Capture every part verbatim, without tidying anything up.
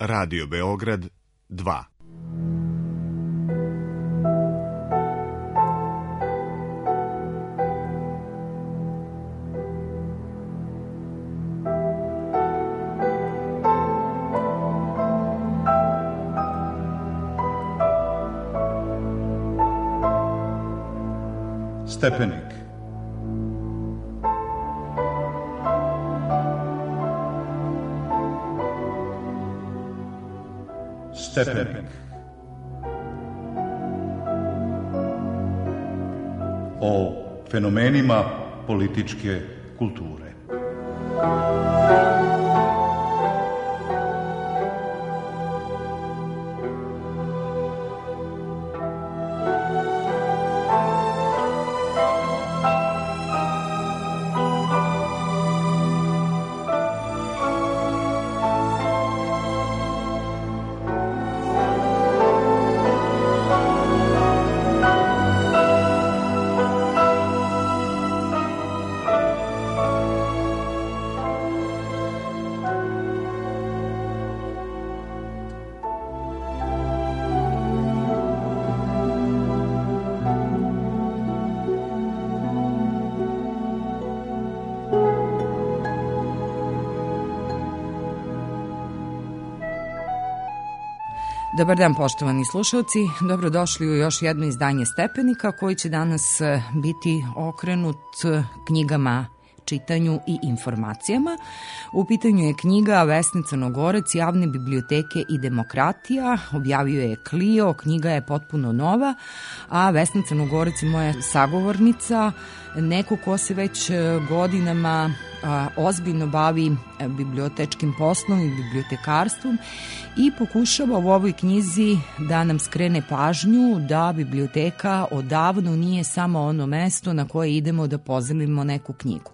Radio Beograd dva. Stepenik. Stepenik. O fenomenima političke kulture. Dobar dan, poštovani slušalci, dobrodošli u još jedno izdanje Stepenika koji će danas biti okrenut knjigama, čitanju i informacijama. U pitanju je knjiga Vesne Crnogorac, Javne biblioteke i demokratija, objavio je Clio, knjiga je potpuno nova, a Vesna Crnogorac je moja sagovornica, neko ko se već godinama a, ozbiljno bavi bibliotečkim poslom i bibliotekarstvom i pokušava u ovoj knjizi da nam skrene pažnju da biblioteka odavno nije samo ono mesto na koje idemo da pozajmimo neku knjigu.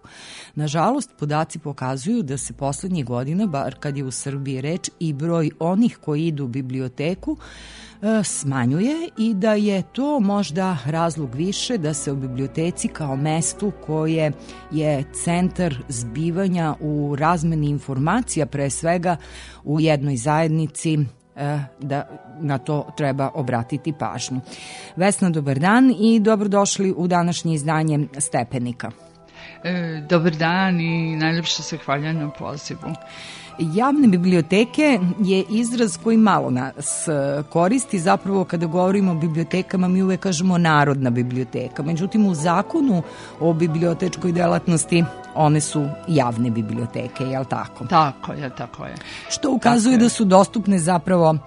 Nažalost, podaci pokazuju da se poslednjih godina, bar kad je u Srbiji reč, i broj onih koji idu u biblioteku smanjuje i da je to možda razlog više da se o biblioteci kao mestu koje je centar zbivanja u razmeni informacija, pre svega u jednoj zajednici, da na to treba obratiti pažnju. Vesna, dobar dan i dobrodošli u današnje izdanje Stepenika. E, dobar dan i najljepše se hvalja na pozivu. Javne biblioteke je izraz koji malo nas koristi, zapravo kada govorimo o bibliotekama mi uvek kažemo narodna biblioteka, međutim u zakonu o bibliotečkoj delatnosti one su javne biblioteke, je li tako? Tako je, tako je. Što ukazuje da su dostupne zapravo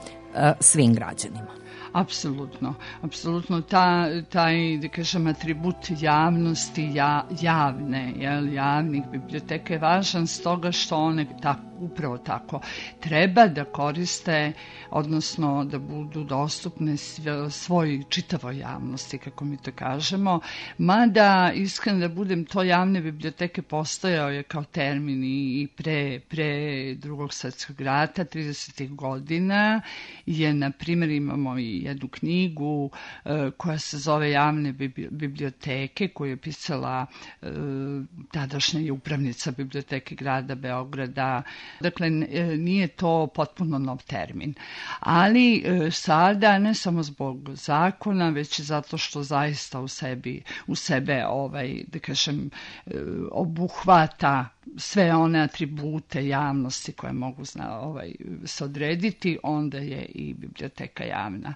svim građanima. Apsolutno, apsolutno ta, taj, da kažem, atribut javnosti, ja, javne, jel, javnih biblioteka je važan stoga što one tako, upravo tako treba da koriste, odnosno da budu dostupne svoj čitavoj javnosti, kako mi to kažemo, mada iskreno da budem, to javne biblioteke postojao je kao termin i pre, pre drugog svjetskog rata, tridesetih godina je, na primjer, imamo i jednu knjigu e, koja se zove Javne biblioteke, koju je pisala e, tadašnja i upravnica biblioteke grada Beograda. Dakle, nije to potpuno nov termin. Ali e, sada, ne samo zbog zakona, već i zato što zaista u sebi, u sebe, ovaj, da kažem, e, obuhvata sve one atribute javnosti koje mogu zna, ovaj, se odrediti, onda je i biblioteka javna.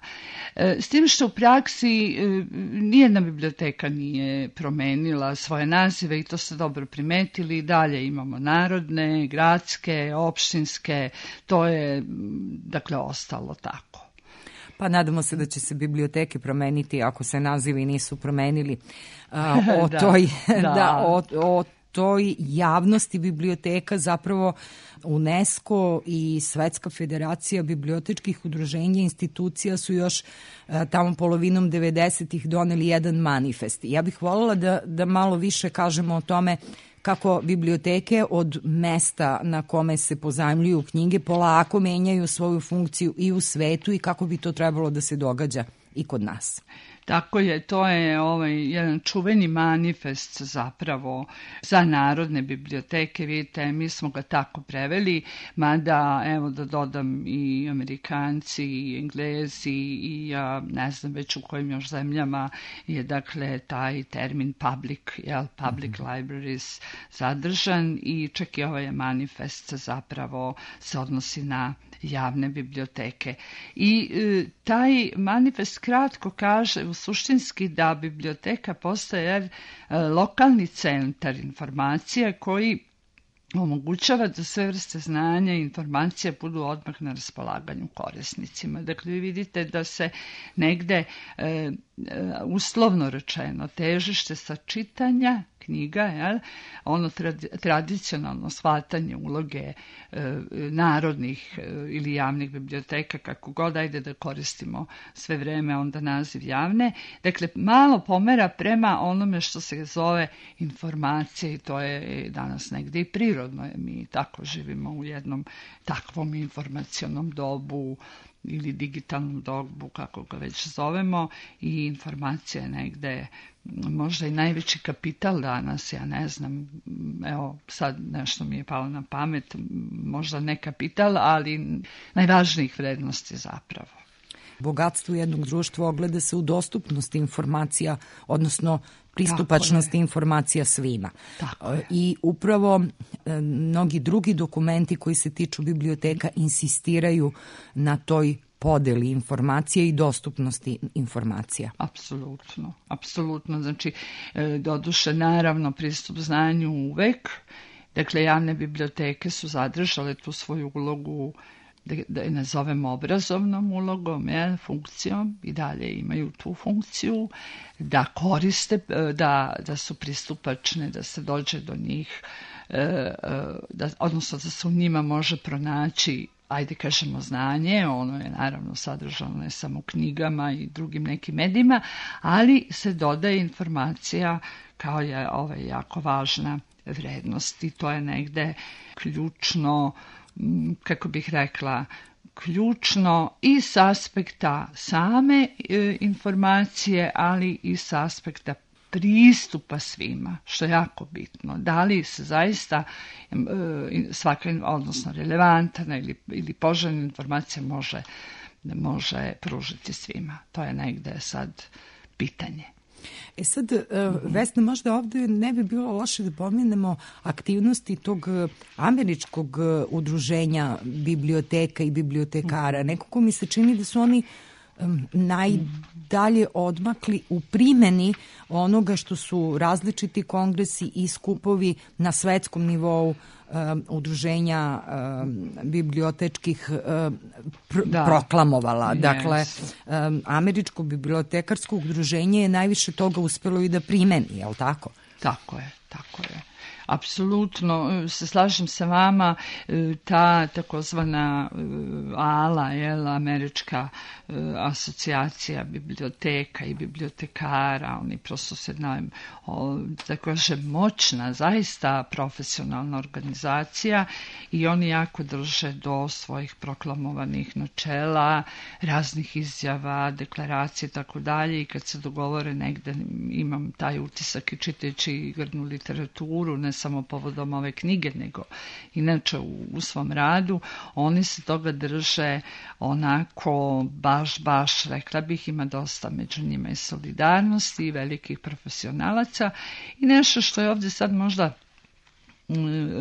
E, s tim što u praksi e, nijedna biblioteka nije promenila svoje nazive i to ste dobro primetili. Dalje imamo narodne, gradske, opštinske, to je dakle ostalo tako. Pa nadamo se da će se biblioteke promeniti ako se nazivi nisu promenili a, o da, toj da. da, o, o toj javnosti biblioteka. Zapravo UNESCO i Svetska federacija bibliotečkih udruženja i institucija su još a, tamo polovinom devedesetih doneli jedan manifest. Ja bih voljela da, da malo više kažemo o tome kako biblioteke od mesta na kome se pozajmljuju knjige polako menjaju svoju funkciju i u svetu i kako bi to trebalo da se događa i kod nas. Tako je, to je ovaj jedan čuveni manifest zapravo za narodne biblioteke, vidite, mi smo ga tako preveli, mada, evo da dodam, i Amerikanci, i Englezi, i ja ne znam već u kojim još zemljama je, dakle, taj termin public, jel, public mm-hmm. libraries zadržan, i čak i ovaj manifest zapravo se odnosi na javne biblioteke. I e, taj manifest kratko kaže u suštinski da biblioteka postaje e, lokalni centar informacija koji omogućava da sve vrste znanja i informacija budu odmah na raspolaganju korisnicima. Dakle, vi vidite da se negde e, uslovno rečeno težište sa čitanja knjiga, jel, ono tradi, tradicionalno shvatanje uloge e, narodnih e, ili javnih biblioteka, kako god, ajde da koristimo sve vreme onda naziv javne, dakle malo pomera prema onome što se zove informacije, i to je danas negde i prirodno. Mi tako živimo u jednom takvom informacionom dobu ili digitalnom dobu, kako ga već zovemo, i informacija je negde možda i najveći kapital danas, ja ne znam, evo sad nešto mi je palo na pamet, možda ne kapital, ali najvažnijih vrednosti zapravo. Bogatstvo jednog društva ogleda se u dostupnosti informacija, odnosno pristupačnosti informacija svima. Tako je. I upravo e, mnogi drugi dokumenti koji se tiču biblioteka insistiraju na toj podeli informacije i dostupnosti informacija. Apsolutno, apsolutno. Znači, e, doduše, naravno, pristup znanju uvek. Dakle, javne biblioteke su zadržale tu svoju ulogu, da, da je nazovemo obrazovnom ulogom, je, funkcijom, i dalje imaju tu funkciju, da koriste, da, da su pristupačne, da se dođe do njih, da, odnosno da se u njima može pronaći, ajde kažemo, znanje. Ono je naravno sadržano ne samo u knjigama i drugim nekim medijima, ali se dodaje informacija kao je ovaj jako važna vrednost, i to je negde ključno, kako bih rekla, ključno i s aspekta same e, informacije, ali i s aspekta pristupa svima, što je jako bitno. Da li se zaista e, svaka, odnosno relevantna ili, ili poželjna informacija može, može pružiti svima. To je negde sad pitanje. E sad, Vesna, možda ovde ne bi bilo loše da pomenemo aktivnosti tog američkog udruženja biblioteka i bibliotekara. Nekako mi se čini da su oni najdalje odmakli u primeni onoga što su različiti kongresi i skupovi na svetskom nivou um, udruženja um, bibliotečkih um, pr- da. proklamovala. Yes. Dakle, um, američko bibliotekarsko udruženje je najviše toga uspelo i da primeni, je li tako? Tako je, tako je. Apsolutno se slažem sa vama, ta takozvana A L A, jel, američka asocijacija biblioteka i bibliotekara, oni prosto se najem, da kažem, moćna, zaista profesionalna organizacija, i oni jako drže do svojih proklamovanih načela, raznih izjava, deklaracije i tako dalje, i kad se dogovore negde, imam taj utisak i čitajući grdnu literaturu, ne samo povodom ove knjige, nego inače u, u svom radu, oni se toga drže onako baš, baš, rekla bih, ima dosta među njima i solidarnosti i velikih profesionalaca, i nešto što je ovdje sad možda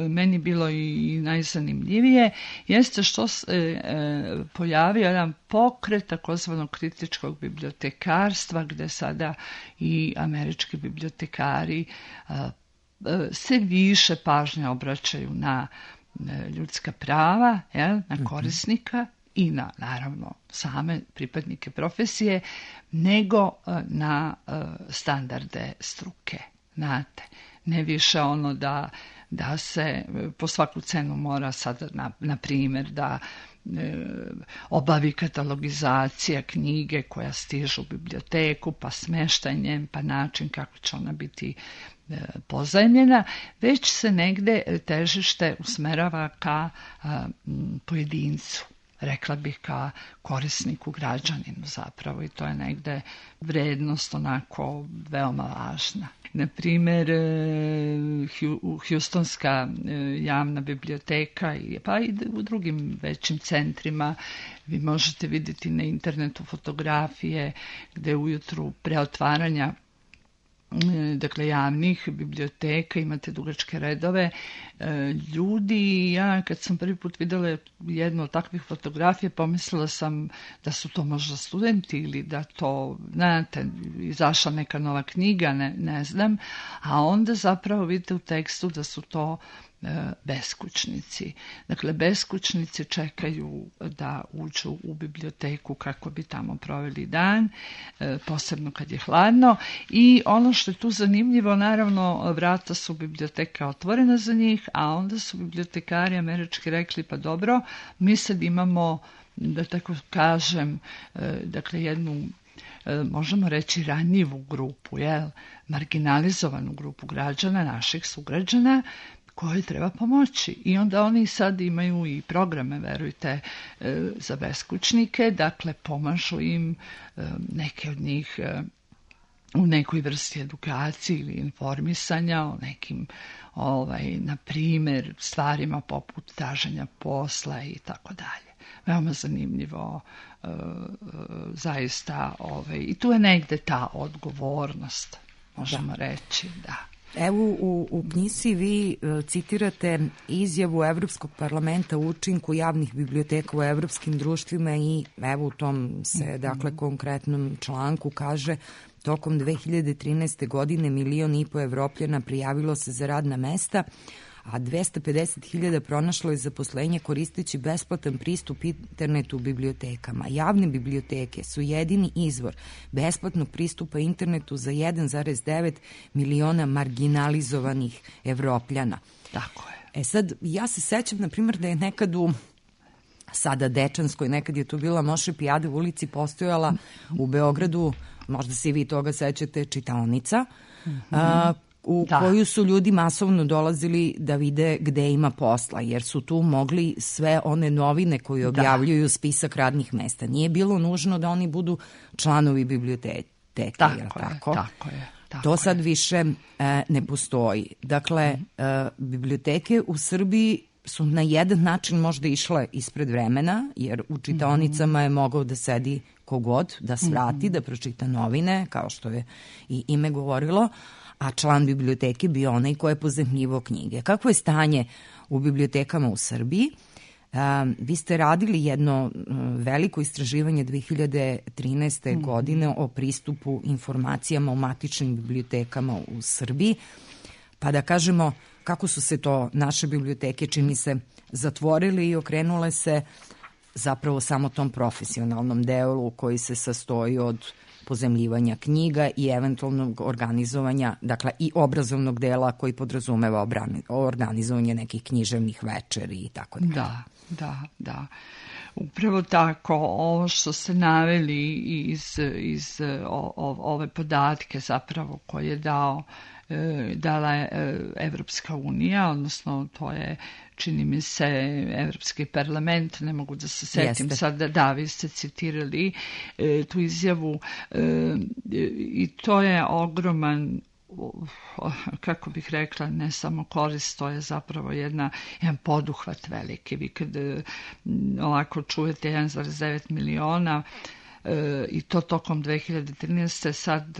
meni bilo i najzanimljivije, jeste što se e, pojavio jedan pokret takozvanog kritičkog bibliotekarstva, gde sada i američki bibliotekari e, se više pažnje obraćaju na ljudska prava, jel, na korisnika i na, naravno, same pripadnike profesije, nego na standarde struke. Znate, ne više ono da, da se po svaku cenu mora sad, na, na primjer, da e, obavi katalogizacija knjige koja stižu u biblioteku, pa smeštanjem, pa način kako će ona biti pozajmljena, već se negde težište usmerava ka a, pojedincu. rekla bih, ka korisniku, građaninu zapravo, i to je negde vrednost onako veoma važna. Na primjer, Hjustonska javna biblioteka, pa i u drugim većim centrima, vi možete vidjeti na internetu fotografije gde ujutru pre otvaranja dakle javnih biblioteka imate dugačke redove ljudi. Ja kad sam prvi put videla jednu od takvih fotografija, pomislila sam da su to možda studenti ili da to, znate, izašla neka nova knjiga, ne, ne znam, a onda zapravo vidite u tekstu da su to beskućnici. Dakle, beskućnici čekaju da uđu u biblioteku kako bi tamo proveli dan, posebno kad je hladno. I ono što je tu zanimljivo, naravno, vrata su biblioteka otvorena za njih, a onda su bibliotekari američki rekli, pa dobro, mi sad imamo, da tako kažem, dakle, jednu, možemo reći, ranjivu grupu, jel, marginalizovanu grupu građana, naših sugrađana, koje treba pomoći. I onda oni sad imaju i programe, verujte, za beskućnike, dakle pomažu im, neke od njih u nekoj vrsti edukacije ili informisanja o nekim, ovaj, na primjer, stvarima poput traženja posla i tako dalje. Veoma zanimljivo, zaista, ovaj, i tu je negde ta odgovornost, možemo da reći, da. Evo, u, u knjizi vi uh, citirate izjavu Evropskog parlamenta o učinku javnih biblioteka u evropskim društvima i evo u tom se, mm-hmm. dakle, konkretnom članku kaže: tokom dve hiljade trinaeste. godine milion i po Evropljana prijavilo se za radna mesta, a dvesta pedeset hiljada pronašlo je zaposlenje koristeći besplatan pristup internetu u bibliotekama. Javne biblioteke su jedini izvor besplatnog pristupa internetu za jedan zarez devet miliona marginalizovanih Evropljana. Tako je. E sad, ja se sećam, na primjer, da je nekad u sada Dečanskoj, nekad je tu bila Moše Pijade u ulici, postojala u Beogradu, možda se i vi toga sećate, čitaonica, mm-hmm. a, u da. koju su ljudi masovno dolazili da vide gde ima posla, jer su tu mogli sve one novine koje objavljuju da. spisak radnih mesta. Nije bilo nužno da oni budu članovi biblioteke. Tako, je, tako? tako je. Tako to sad je. više e, ne postoji. Dakle, mm. e, biblioteke u Srbiji su na jedan način možda išle ispred vremena, jer u čitaonicama je mogao da sedi kogod, da svrati, mm. da pročita novine, kao što je i ime govorilo, a član biblioteke bio onaj ko je pozemljivo knjige. Kako je stanje u bibliotekama u Srbiji? Um, vi ste radili jedno um, veliko istraživanje dve hiljade trinaeste. Mm. godine o pristupu informacijama o matičnim bibliotekama u Srbiji, pa da kažemo kako su se to naše biblioteke, čini se, zatvorile i okrenule se zapravo samo tom profesionalnom delu koji se sastoji od pozemljivanja knjiga i eventualnog organizovanja, dakle i obrazovnog dela koji podrazumeva obrani, organizovanje nekih književnih večeri i tako dalje. Da, da, da. Upravo tako, ovo što ste naveli iz, iz o, o, ove podatke zapravo koje je dao dala je Evropska unija, odnosno to je, čini mi se, Evropski parlament, ne mogu da se setim Jeste. sad, da, da, vi ste citirali e, tu izjavu e, i to je ogroman, kako bih rekla, ne samo korist, to je zapravo jedna, jedan poduhvat veliki. Vi kad ovako čujete jedan zarez devet miliona i to tokom dve hiljade trinaeste. Sad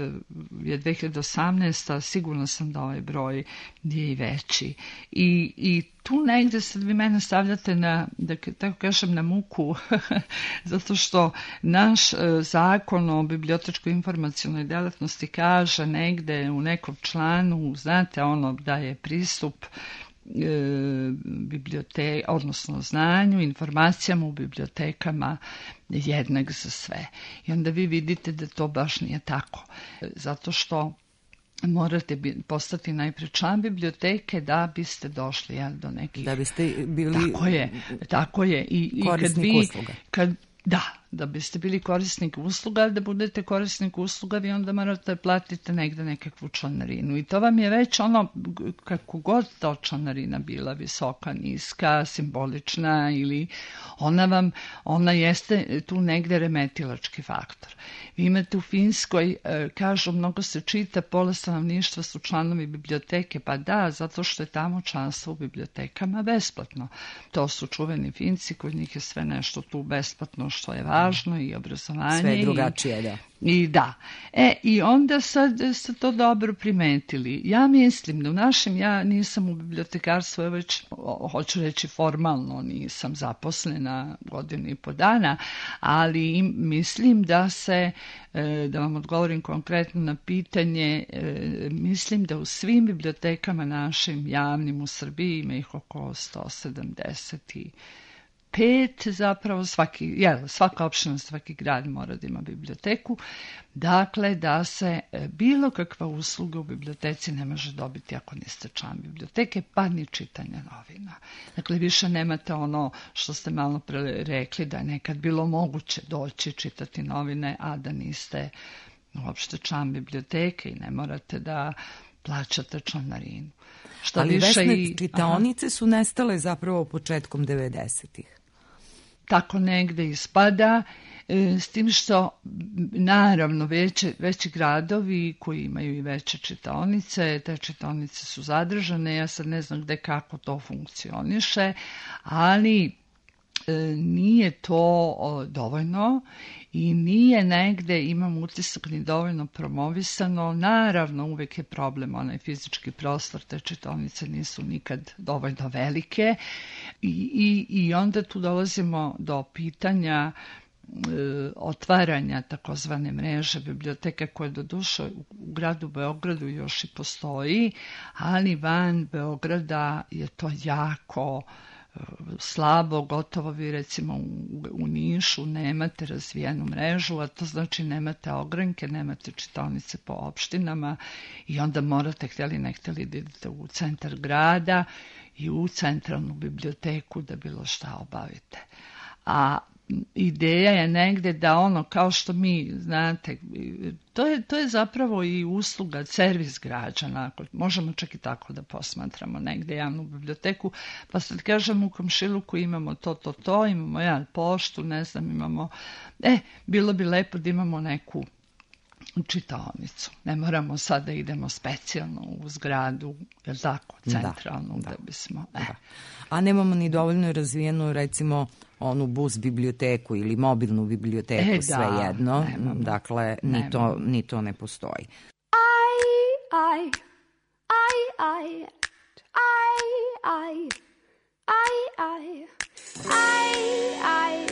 je dve hiljade osamnaesta. Sigurno sam da ovaj broj je i veći. I, i tu negde sad vi mene stavljate na, da tako kažem, na muku, zato što naš zakon o bibliotečko-informacionoj delatnosti kaže negde u nekom članu, znate, ono da je pristup bibliote, odnosno znanju, informacijama u bibliotekama jednak za sve. I onda vi vidite da to baš nije tako. Zato što morate postati najpre član biblioteke da biste došli ja, do nekih... Da biste bili... Tako je, tako je. I, i kad vi, usluga. Kad, da, Da biste bili korisnik usluga, da budete korisnik usluga, vi onda morate platiti negde nekakvu članarinu. I to vam je već ono, kako god ta članarina bila, visoka, niska, simbolična, ili ona vam, ona jeste tu negde remetilački faktor. Vi imate u Finskoj, kažu, mnogo se čita, pola stanovništva su članovi biblioteke, pa da, zato što je tamo članstvo u bibliotekama besplatno. To su čuveni Finci, kod njih je sve nešto tu besplatno što je važno i obrazovanje. Sve drugačije, i, da. I da. E, i onda sad ste to dobro primetili. Ja mislim da u našem, ja nisam u bibliotekarstvu, evo već, hoću reći formalno, nisam zaposlena godinu i po dana, ali mislim da se, da vam odgovorim konkretno na pitanje, mislim da u svim bibliotekama našim javnim u Srbiji ima ih oko sto sedamdeset i pet, zapravo svaki, jel, svaka opština, svaki grad mora da ima biblioteku, dakle da se bilo kakva usluga u biblioteci ne može dobiti ako niste član biblioteke, pa ni čitanja novina. Dakle, više nemate ono što ste malo pre rekli, da je nekad bilo moguće doći čitati novine, a da niste uopšte član biblioteke i ne morate da plaćate članarinu. Šta Ali više Vesne, i... čitaonice Aha. su nestale zapravo početkom devedesetih. Tako negde ispada, s tim što naravno veće, veći gradovi koji imaju i veće čitaonice, te čitaonice su zadržane, ja sad ne znam gde kako to funkcioniše, ali nije to dovoljno i nije negde, imam utisak, ni dovoljno promovisano. Naravno, uvek je problem onaj fizički prostor, te čitaonice nisu nikad dovoljno velike i, i, i onda tu dolazimo do pitanja e, otvaranja takozvane mreže biblioteka koja do duše u, u gradu Beogradu još i postoji, ali van Beograda je to jako slabo, gotovo vi recimo u, u Nišu nemate razvijenu mrežu, a to znači nemate ogranke, nemate čitaonice po opštinama i onda morate, htjeli ne htjeli, da idete u centar grada i u centralnu biblioteku da bilo šta obavite. A ideja je negde da ono, kao što mi, znate, to je, to je zapravo i usluga, servis građana, možemo čak i tako da posmatramo negde javnu biblioteku, pa sad kažem u komšiluku imamo to, to, to, imamo ja poštu, ne znam, imamo, e, bilo bi lepo da imamo neku čitaonicu. Ne moramo sad da idemo specijalno u zgradu, je li tako, centralnu, da, da, da bismo... E. Da. A nemamo ni dovoljno razvijenu, recimo, onu bus biblioteku ili mobilnu biblioteku, e, svejedno. Da, dakle, ni to, ni to ne postoji. I, I, I, I, I, I, I, I, I,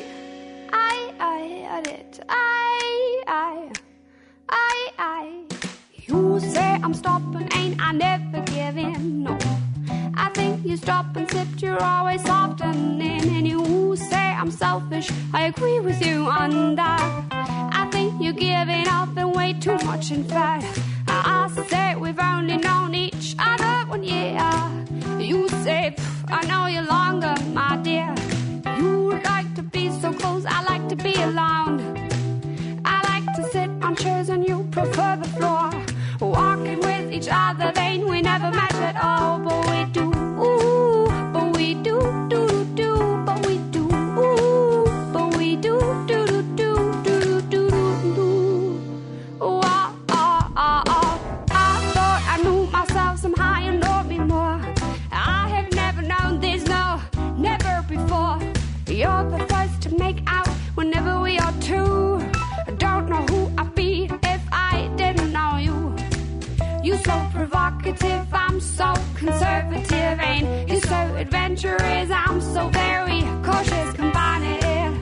I, I, it, I, I, I, I. You say I'm stopping, ain't I never giving, no. I think you stop and sip, you're always softening. And you say I'm selfish, I agree with you on that. I think you're giving up and way too much, in fact. I say we've only known each other one year. You say, I know you longer, my dear. You like to be so close, I like to be alone. I like to sit on chairs and you prefer the floor. Walking with each other, then we never met at all. But we do, ooh, but we do, do, do, do, but we do, ooh, but we do, do, do, do, do, do, do, do. Oh, oh, oh, oh. I thought I knew myself somehow, you know me more. I have never known this, no, never before. You're the first to make out whenever we are two. I don't know who I'd be if I didn't know you. You're so provocative, I'm so conservative, and you're so adventurous, I'm so very cautious, combining it.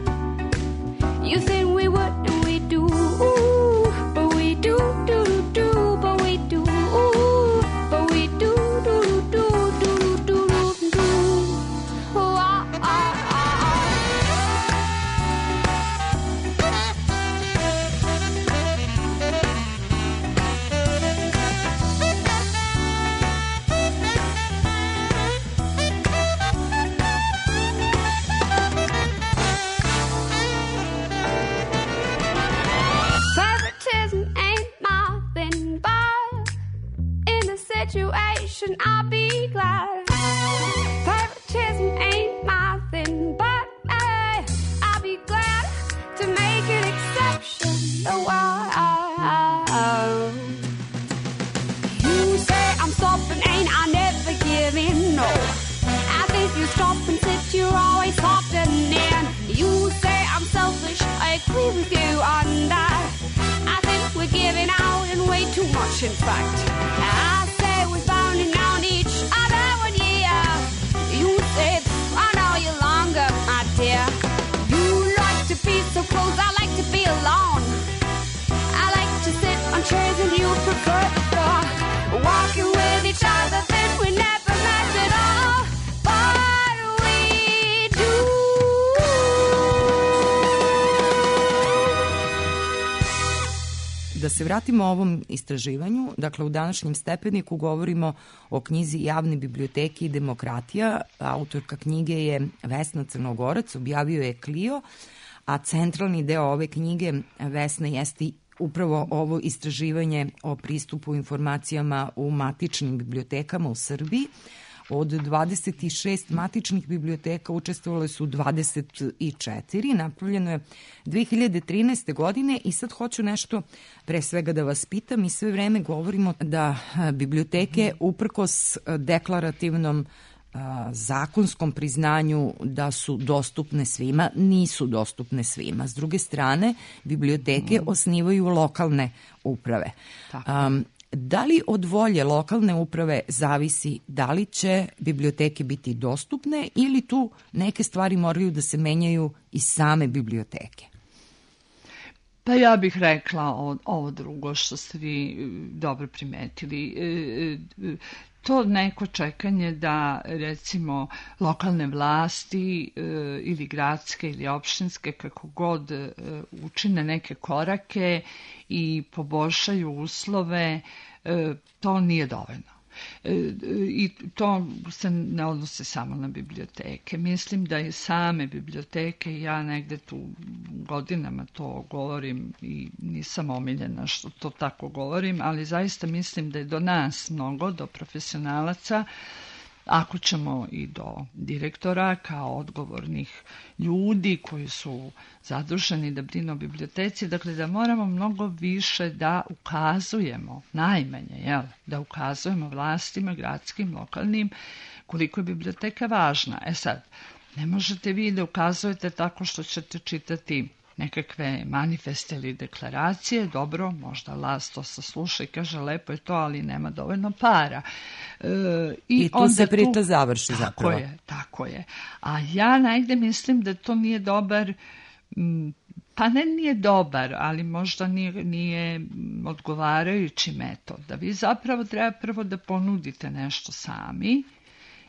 You think we would and we do, ooh, but we do, do, do, do, but we do, ooh, but we do, do, do, do, do, do, do, do. Oh, ah, ah, exception, I'll be glad. Favoritism ain't my thing, but hey, I'll be glad to make an exception. Oh, I, I, you say I'm soft and ain't I never give in, no. I think you stop and sit, you're always softening. You say I'm selfish, I agree with you on that. I think we're giving out and way too much, in fact. I say we're bounding down each other one year. You say I know you longer, my dear. You like to be so close, I like to be alone. I like to sit on chairs and you prefer uh, walking with each other, then we never met at all. But we do. Da se vratimo ovom istraživanju, dakle u današnjem stepeniku govorimo o knjizi Javne biblioteke i demokratija. Autorka knjige je Vesna Crnogorac, objavio je Clio, a centralni deo ove knjige, Vesna, jeste upravo ovo istraživanje o pristupu informacijama u matičnim bibliotekama u Srbiji. Od dvadeset šest matičnih biblioteka učestvovale su dvadeset četiri, napravljeno je dve hiljade trinaeste. godine i sad hoću nešto pre svega da vas pitam. Mi sve vreme govorimo da biblioteke uprkos deklarativnom zakonskom priznanju da su dostupne svima, nisu dostupne svima. S druge strane, biblioteke mm. osnivaju lokalne uprave. Um, da li od volje lokalne uprave zavisi da li će biblioteke biti dostupne ili tu neke stvari moraju da se menjaju iz same biblioteke? Pa ja bih rekla ovo drugo što ste vi dobro primetili. To neko čekanje da, recimo, lokalne vlasti e, ili gradske ili opštinske, kako god, e, učine neke korake i poboljšaju uslove, e, to nije dovoljno. E, I to se ne odnose samo na biblioteke. Mislim da i same biblioteke, ja negde tu godinama to govorim i nisam omiljena što to tako govorim, ali zaista mislim da je do nas mnogo, do profesionalaca, ako ćemo i do direktora kao odgovornih ljudi koji su zaduženi da brinu o biblioteci, dakle da moramo mnogo više da ukazujemo, najmanje, jel, da ukazujemo vlastima, gradskim, lokalnim, koliko je biblioteka važna. E sad, ne možete vi da ukazujete tako što ćete čitati nekakve manifeste ili deklaracije, dobro, možda vlast to sasluša i kaže lepo je to, ali nema dovoljno para. E, i, I tu onda se priča tu, završi tako zapravo. Tako je, tako je. A ja negde mislim da to nije dobar, pa ne nije dobar, ali možda nije, nije odgovarajući metod. Da vi zapravo treba prvo da ponudite nešto sami,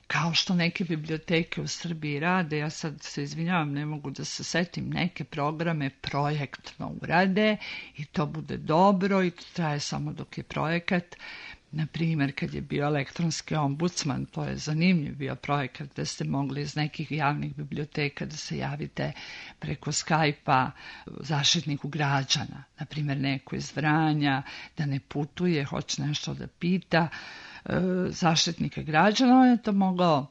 kao što neke biblioteke u Srbiji rade. Ja sad se izvinjavam, ne mogu da se setim, neke programe projektno urade i to bude dobro i to traje samo dok je projekat. Na primjer, kad je bio elektronski ombudsman, to je zanimljiv bio projekat gde ste mogli iz nekih javnih biblioteka da se javite preko Skype-a zaštitniku građana. Na primjer, neko iz Vranja da ne putuje, hoće nešto da pita zaštitnika građana, on je to mogao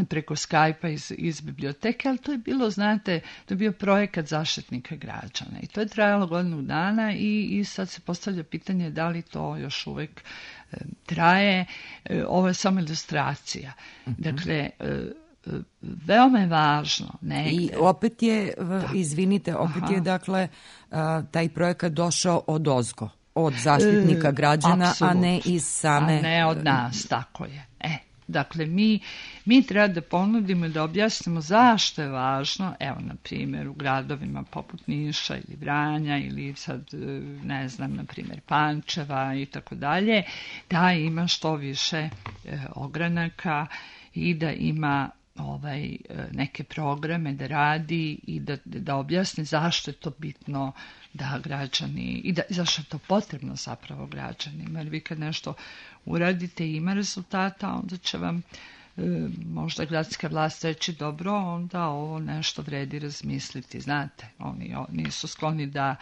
preko Skype-a iz, iz biblioteke, ali to je bilo, znate, to je bio projekat zaštitnika građana i to je trajalo godinu dana i, i sad se postavlja pitanje da li to još uvek e, traje. E, ovo je samo ilustracija. Mm-hmm. Dakle, e, veoma je važno negde. I opet je, da. izvinite, opet Aha. je dakle taj projekat došao od ozgo, od zaštitnika građana, e, a ne iz same... A ne od nas, tako je. E, dakle, mi, mi treba da ponudimo i da objasnimo zašto je važno, evo, na primjer, u gradovima poput Niša ili Vranja ili sad, ne znam, na primjer, Pančeva i tako dalje, da ima što više e, ogranaka i da ima ovaj, neke programe da radi i da, da objasni zašto je to bitno da građani, i da, zašto je to potrebno zapravo građanima. Jer vi kad nešto uradite i ima rezultata, onda će vam e, možda gradska vlast reći dobro, onda ovo nešto vredi razmisliti. Znate, oni o, nisu skloni da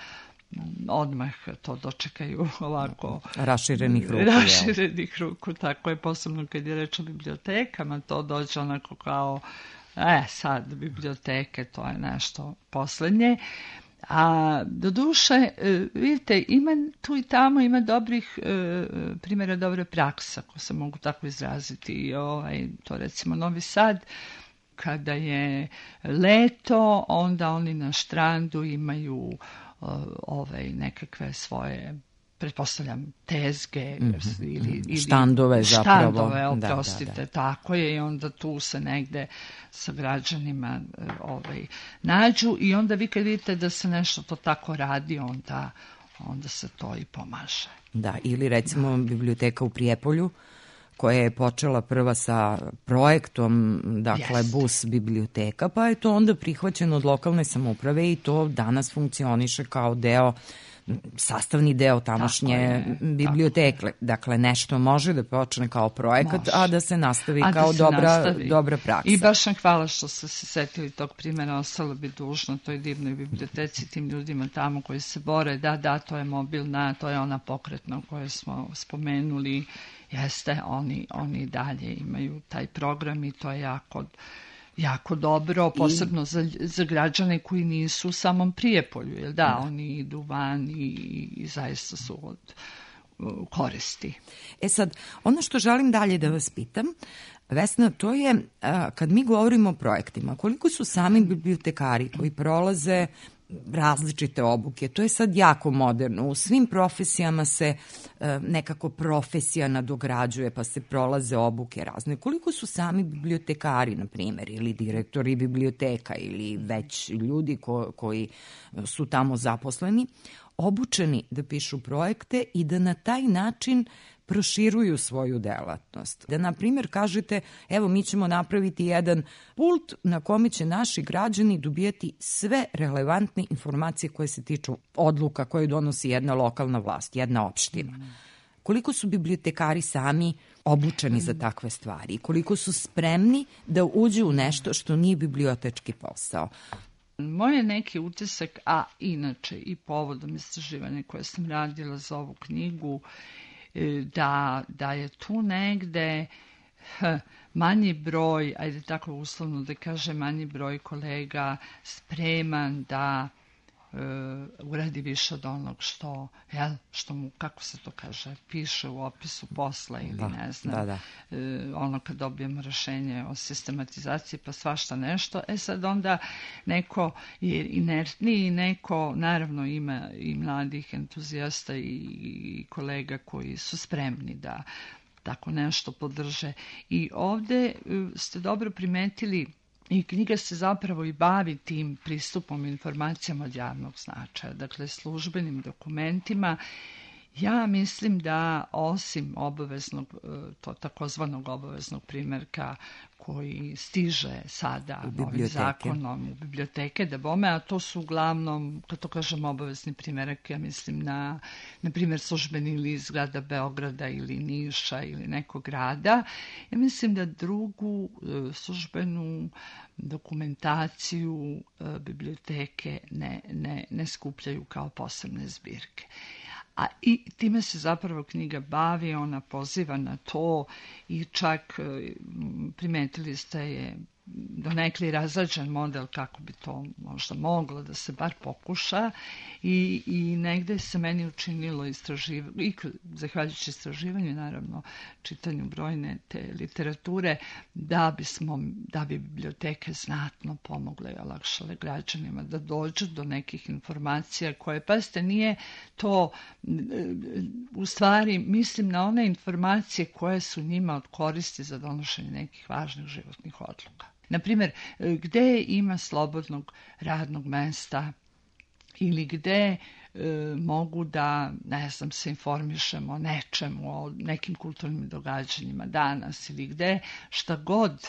odmah to dočekaju ovako raširenih ruku. Raširenih ruku, tako je, posebno kad je reč o bibliotekama, to dođe onako kao, e, sad biblioteke, to je nešto poslednje. A do duše, vidite, ima tu i tamo, ima dobrih e, primjera dobre prakse, ako se mogu tako izraziti. I ovaj, to recimo Novi Sad, kada je leto, onda oni na štrandu imaju ovaj, nekakve svoje, pretpostavljam, tezge mm-hmm. ili, ili štandove zapravo. Štandove, oprostite, da, da, da. Tako je, i onda tu se negde sa građanima ovaj, nađu i onda vi kad vidite da se nešto to tako radi, onda, onda se to i pomaže. Da, ili recimo da. Biblioteka u Prijepolju, koja je počela prva sa projektom, dakle, Jest. bus biblioteka, pa je to onda prihvaćeno od lokalne samouprave i to danas funkcioniše kao deo, sastavni deo tamošnje biblioteke. Dakle, nešto može da počne kao projekat, može. a da se nastavi a kao da se dobra, nastavi. dobra praksa. I baš vam hvala što ste se setili tog primjera, ostalo bi dužno toj divnoj biblioteci, tim ljudima tamo koji se bore, da, da, to je mobilna, to je ona pokretna koju smo spomenuli. Jeste, oni, oni dalje imaju taj program i to je jako, jako dobro, posebno I... za, za građane koji nisu u samom Prijepolju, jer da, da. oni idu van i, i zaista su od uh, koristi. E sad, ono što želim dalje da vas pitam, Vesna, to je, a, kad mi govorimo o projektima, koliko su sami bibliotekari koji prolaze različite obuke, to je sad jako moderno. U svim profesijama se e, nekako profesija nadograđuje, pa se prolaze obuke razne. Koliko su sami bibliotekari, na primjer, ili direktori biblioteka, ili već ljudi ko, koji su tamo zaposleni, obučeni da pišu projekte i da na taj način proširuju svoju delatnost. Da, na primjer, kažete, evo, mi ćemo napraviti jedan pult na kome će naši građani dobijati sve relevantne informacije koje se tiču odluka koje donosi jedna lokalna vlast, jedna opština. Koliko su bibliotekari sami obučeni za takve stvari? Koliko su spremni da uđu u nešto što nije bibliotečki posao? Moj je neki utisak, a inače i povodom istraživanja koje sam radila za ovu knjigu, da, da je tu negde h, manji broj, ajde tako uslovno da kažem, manji broj kolega spreman da e, uradi više od onog što, jel, što mu, kako se to kaže, piše u opisu posla ili da, ne znam, da, da. E, ono kad dobijemo rešenje o sistematizaciji pa svašta nešto. E sad onda neko je inertniji, neko, naravno ima i mladih entuzijasta i, i kolega koji su spremni da tako nešto podrže. I ovde ste dobro primetili, i knjiga se zapravo i bavi tim pristupom informacijama od javnog značaja, dakle službenim dokumentima. Ja mislim da osim obaveznog, to takozvanog obaveznog primjerka koji stiže sada novim zakonom u biblioteke, da bome, a to su uglavnom, kad to kažem obavezni primjerak, ja mislim na, na primjer, službeni list grada Beograda ili Niša ili nekog grada. Ja mislim da drugu službenu dokumentaciju biblioteke ne, ne, ne skupljaju kao posebne zbirke. A i time se zapravo knjiga bavi, ona poziva na to i čak primetili ste je donekli razrađen model kako bi to možda moglo da se bar pokuša i, i negde se meni učinilo istraživanje, i zahvaljujući istraživanju, naravno, čitanju brojne te literature, da bismo, da bi biblioteke znatno pomogle i olakšale građanima da dođu do nekih informacija koje, pazite, nije to, u stvari mislim na one informacije koje su njima od koristi za donošenje nekih važnih životnih odluka. Naprimjer, gde ima slobodnog radnog mesta ili gde e, mogu da, ne znam, se informišemo o nečemu, o nekim kulturnim događanjima danas ili gde, šta god,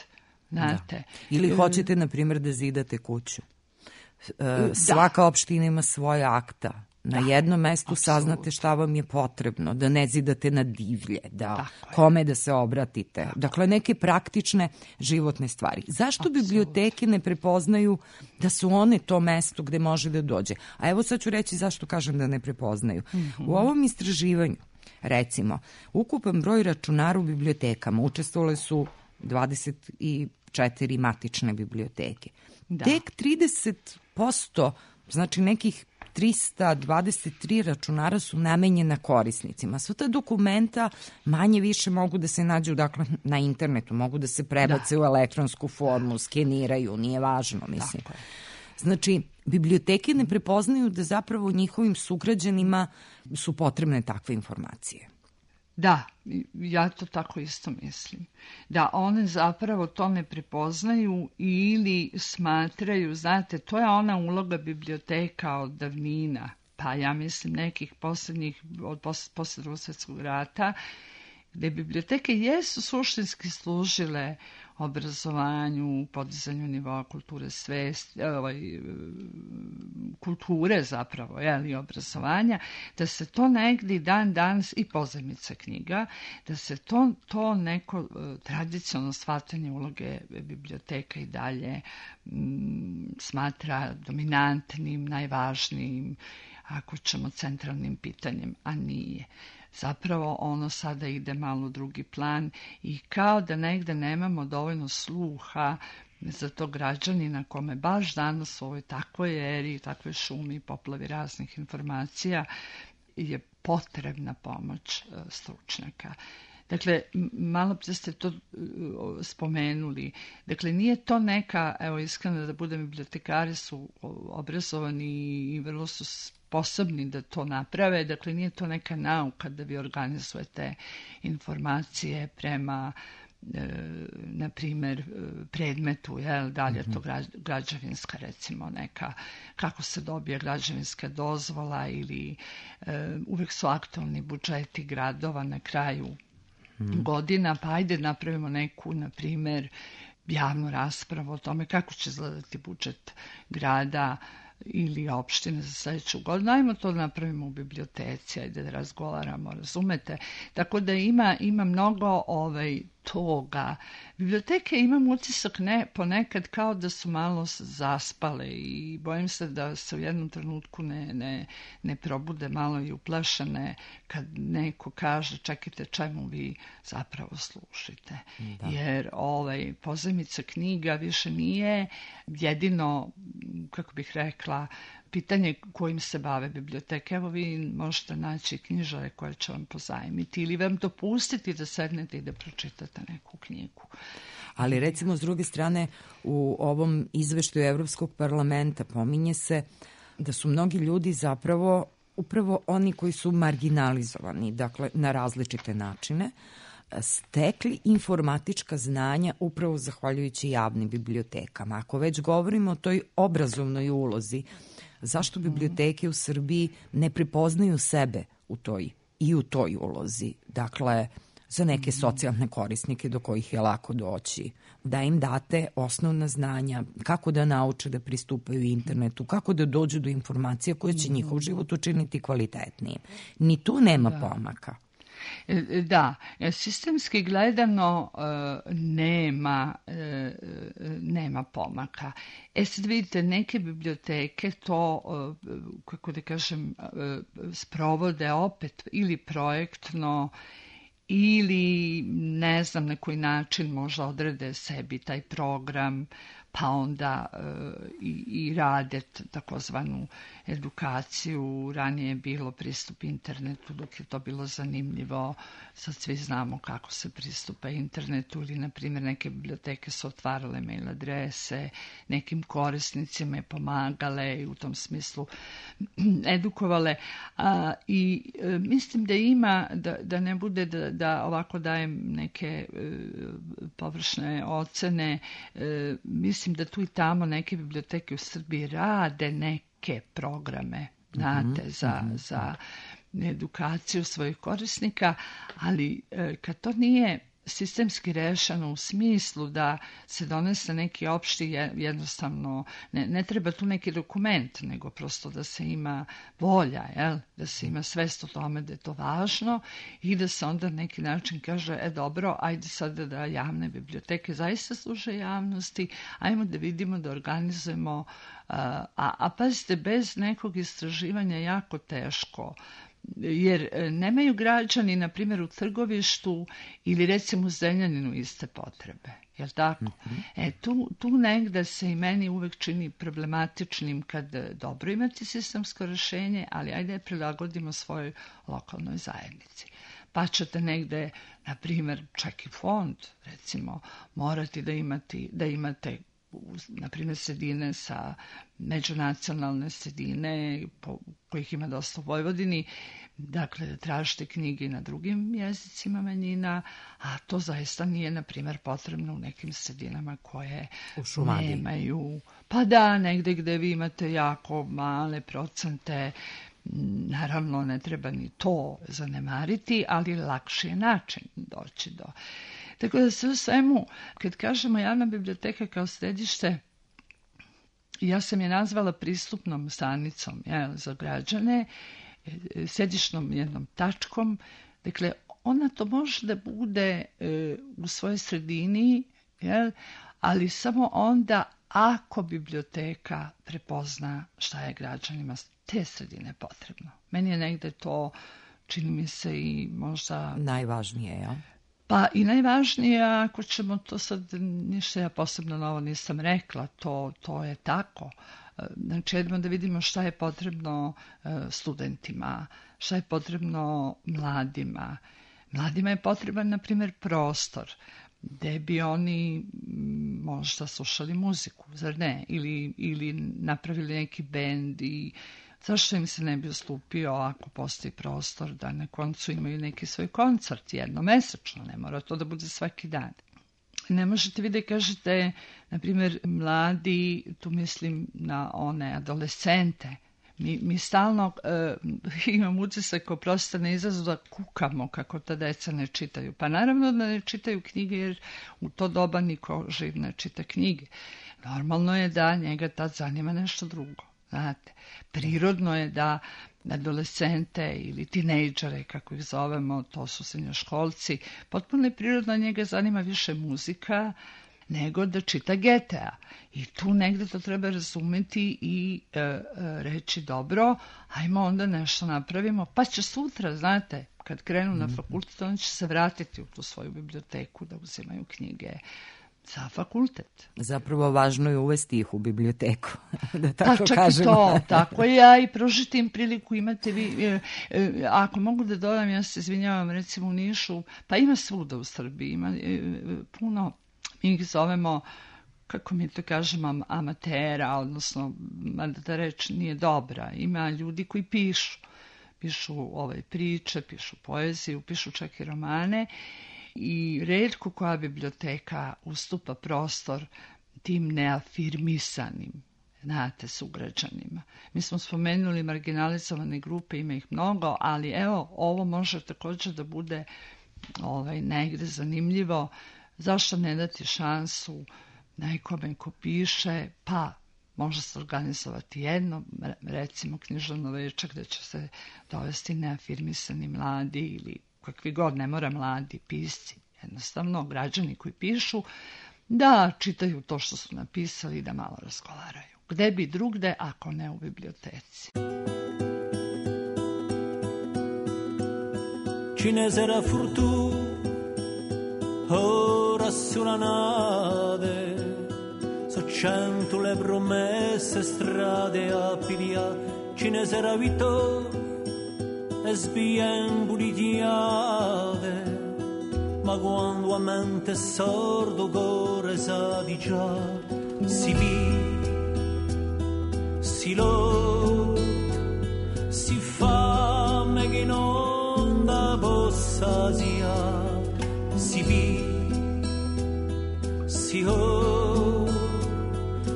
znate. Da. Ili hoćete, na primjer, da zidate kuću. E, svaka da. opština ima svoje akta Na da, jednom mestu apsolutno saznate šta vam je potrebno, da ne zidate na divlje, da Tako kome da se obratite. Tako. Dakle, neke praktične životne stvari. Zašto apsolutno biblioteke ne prepoznaju da su one to mesto gde može da dođe? A evo sad ću reći zašto kažem da ne prepoznaju. Mm-hmm. U ovom istraživanju, recimo, ukupan broj računara u bibliotekama učestvovale su dvadeset četiri matične biblioteke. Da. Tek trideset posto, znači nekih trista dvadeset tri računara su namenjena korisnicima. Sva ta dokumenta manje više mogu da se nađu, dakle, na internetu, mogu da se prebace da. u elektronsku formu, skeniraju, nije važno, mislim. Dakle. Znači, biblioteke ne prepoznaju da zapravo njihovim sugrađanima su potrebne takve informacije. Da, ja to tako isto mislim. Da one zapravo to ne prepoznaju ili smatraju, znate, to je ona uloga biblioteka od davnina, pa ja mislim nekih poslednjih, od posle Drugog svjetskog rata, gde biblioteke jesu suštinski služile obrazovanju, podizanju nivoa kulture svesti, ovaj, kulture zapravo, jeli, obrazovanja, da se to negdje dan danas i pozajmica knjiga, da se to, to neko tradicionalno shvatanje uloge biblioteka i dalje m, smatra dominantnim, najvažnijim, ako ćemo centralnim pitanjem, a nije. Zapravo ono sada ide malo u drugi plan i kao da negde nemamo dovoljno sluha za to građanina kome baš danas u ovoj takvoj eri, takvoj šumi, poplavi raznih informacija je potrebna pomoć stručnjaka. Dakle, malo prije ste to spomenuli. Dakle, nije to neka, evo iskreno da budem, bibliotekari su obrazovani i vrlo su sposobni da to naprave. Dakle, nije to neka nauka da vi organizujete informacije prema, e, na primjer, predmetu, jel, da li je to građevinska, recimo, neka, kako se dobije građevinska dozvola ili e, uvijek su aktualni budžeti gradova na kraju Hmm. godina, pa ajde napravimo neku, na primjer, javnu raspravu o tome kako će izgledati budžet grada ili opštine za sljedeću godinu. Ajmo to napravimo u biblioteci, ajde da razgovaramo, razumete? Tako da ima, ima mnogo ovaj, toga. Biblioteke, imam utisak ne, ponekad kao da su malo zaspale i bojim se da se u jednom trenutku ne, ne, ne probude malo i uplašene kad neko kaže čekajte čemu vi zapravo slušite. Da. Jer ovaj, pozajmica knjiga više nije jedino, kako bih rekla, pitanje kojim se bave biblioteke. Evo vi možete naći knjižare koje će vam pozajmiti ili vam dopustiti da sednete i da pročitate neku knjigu. Ali recimo s druge strane u ovom izveštaju Evropskog parlamenta pominje se da su mnogi ljudi zapravo upravo oni koji su marginalizovani, dakle na različite načine, stekli informatička znanja upravo zahvaljujući javnim bibliotekama. Ako već govorimo o toj obrazovnoj ulozi, zašto biblioteke u Srbiji ne prepoznaju sebe u toj i u toj ulozi? Dakle, za neke socijalne korisnike do kojih je lako doći, da im date osnovna znanja, kako da nauče da pristupaju internetu, kako da dođu do informacija koje će njihov život učiniti kvalitetnijim. Ni tu nema da. pomaka. Da, sistemski gledano nema, nema pomaka. E sad vidite, neke biblioteke to, kako da kažem, sprovode opet ili projektno ili ne znam na koji način možda odrede sebi taj program, pa onda e, i, i rade takozvanu edukaciju. Ranije je bilo pristup internetu dok je to bilo zanimljivo. Sad svi znamo kako se pristupa internetu ili, na primjer, neke biblioteke su otvarale mail adrese, nekim korisnicima je pomagale i u tom smislu edukovale. A, I e, mislim da ima, da, da ne bude da, da ovako dajem neke e, površne ocene, e, mislim da tu i tamo neke biblioteke u Srbiji rade neke programe, znate, mm-hmm. za, mm-hmm. za edukaciju svojih korisnika, ali e, kad to nije sistemski rešeno u smislu da se donese neki opšti, jednostavno, ne, ne treba tu neki dokument, nego prosto da se ima volja, jel? Da se ima svest o tome da je to važno i da se onda na neki način kaže, e dobro, ajde sada da javne biblioteke zaista služe javnosti, ajmo da vidimo, da organizujemo, a, a, a pazite, bez nekog istraživanja jako teško, jer nemaju građani, na primjer, u Trgovištu ili recimo u Zrenjaninu iste potrebe. Jel tako? Mm-hmm. E, tu, tu negde se i meni uvek čini problematičnim kad dobro imati sistemsko rešenje, ali ajde je prilagodimo svojoj lokalnoj zajednici. Pa ćete negde, na primjer, čak i fond, recimo, morati da, imati, da imate na primjer sredine sa međunacionalne sredine po, kojih ima dosta u Vojvodini, dakle da tražite knjige na drugim jezicima manjina, a to zaista nije na primjer potrebno u nekim sredinama koje nemaju, pa da, negde gde vi imate jako male procente. Naravno ne treba ni to zanemariti, ali lakši je način doći do. Tako da sve u svemu, kad kažemo javna biblioteka kao središte, ja sam je nazvala pristupnom stanicom, jel, za građane, središnom jednom tačkom. Dakle, ona to može da bude e, u svojoj sredini, jel, ali samo onda ako biblioteka prepozna šta je građanima te sredine potrebno. Meni je negde to, čini mi se, i možda najvažnije, ja? Pa i najvažnije, ako ćemo to sad, ništa ja posebno novo nisam rekla, to, to je tako. Znači, jedemo da vidimo šta je potrebno studentima, šta je potrebno mladima. Mladima je potreban, na primjer, prostor gde bi oni možda slušali muziku, zar ne? Ili, ili napravili neki bend i zašto im se ne bi ustupio ako postoji prostor da na koncu imaju neki svoj koncert jednomesečno, ne mora to da bude svaki dan. Ne možete vi da kažete, na primjer, mladi, tu mislim na one adolescente, mi, mi stalno uh, imam utisak, oprostite na izrazu, da kukamo kako ta deca ne čitaju. Pa naravno da ne čitaju knjige, jer u to doba niko živ ne čita knjige. Normalno je da njega tad zanima nešto drugo. Znate, prirodno je da adolescente ili tinejdžere, kako ih zovemo, to su srednjoškolci, potpuno je prirodno, njega zanima više muzika nego da čita Getea. I tu negde to treba razumeti i e, e, reći dobro, ajmo onda nešto napravimo, pa će sutra, znate, kad krenu na fakultet, oni će se vratiti u tu svoju biblioteku da uzimaju knjige za fakultet. Zapravo važno je uvesti ih u biblioteku, da tako da, čak kažemo. I to, tako je, i prožiti im priliku imate vi, e, e, ako mogu da dodam, ja se izvinjavam, recimo u Nišu, pa ima svuda u Srbiji, ima e, puno, mi ih zovemo, kako mi to kažemo, amatera, odnosno, da ta reč nije dobra, ima ljudi koji pišu, pišu ovaj, priče, pišu poeziju, pišu čak i romane, i retko koja biblioteka ustupa prostor tim neafirmisanim, znate, sugrađanima. Mi smo spomenuli marginalizovane grupe, ima ih mnogo, ali evo, ovo može također da bude ovaj, negde zanimljivo. Zašto ne dati šansu nekome ko piše, pa može se organizovati jedno, recimo književno veče gde će se dovesti neafirmisani mladi ili kakvi god, ne mora mladi pisci, jednostavno građani koji pišu, da čitaju to što su napisali i da malo razgovaraju. Gde bi drugde, ako ne u biblioteci? Cinesera furtu, ora sulla nave, so cento le promesse, strade a pidia, cinesera vito, es bien bulidiave, ma quando a mente sordo gore sa di già, si vi, si lo, si fame che non da possa sia, si vi, si ho,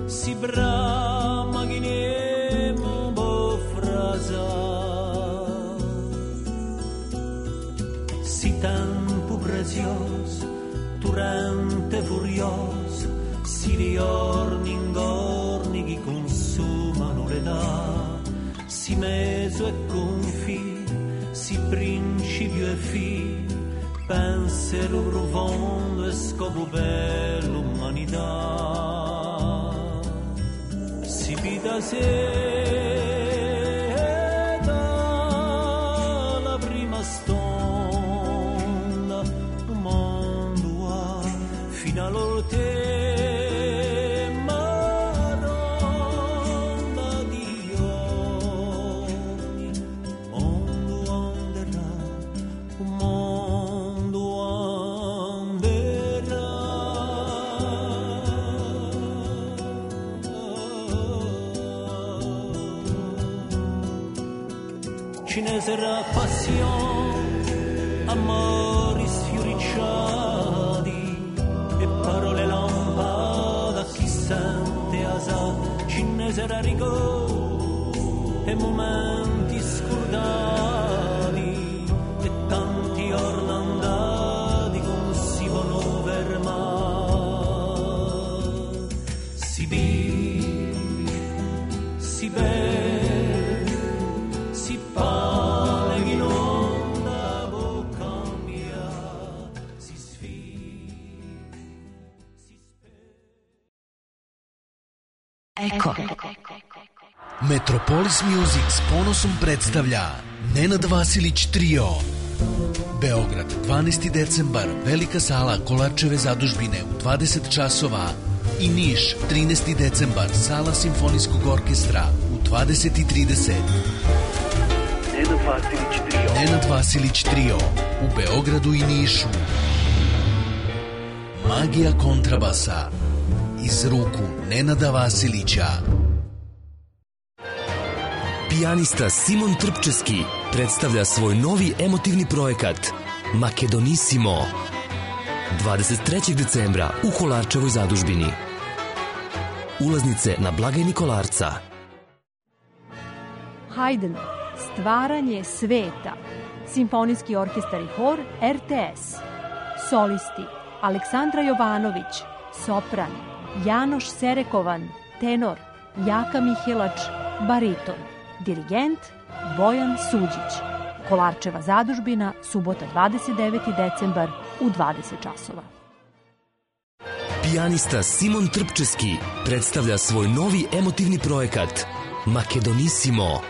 si brama che nemo bo frasa. Si tempo prezioso curioso, si riorni ingorni chi consumano l'età, si meso e confine, si principio e fine, pensiero profondo e scopo per l'umanità. Si vita se la prima stonda, un mondo ha fino all'orte. Sarà passione, amori sfioricciati e parole lampade a chi sente asa, ce ne sarà rigore e momenti scordati e tanti orni andati non si vogliono fermare. Si vive, si beve, si parla. Eko. Metropolis Music s ponosom predstavlja Nenad Vasilić Trio. Beograd, dvanaesti decembar, velika sala Kolarčeve zadužbine u dvadeset časova i Niš, trinaesti decembar, sala Simfonijskog orkestra u dvadeset i trideset. Nenad Vasilić Trio. Nenad Vasilić Trio u Beogradu i Nišu. Magija kontrabasa iz ruku Nenada Vasilića. Pijanista Simon Trpčeski predstavlja svoj novi emotivni projekat Makedonissimo dvadeset trećeg decembra u Kolarčevoj zadužbini. Ulaznice na blagajni Kolarca. Haydn, Stvaranje sveta, Simfonijski orkestar i hor R T S. Solisti Aleksandra Jovanović, sopran, Janoš Serekovan, tenor, Jaka Mihelač, bariton, dirigent Bojan Suđić. Kolarčeva zadužbina, subota dvadeset deveti decembar u dvadeset časova. Pijanista Simon Trpčeski predstavlja svoj novi emotivni projekat Makedonissimo.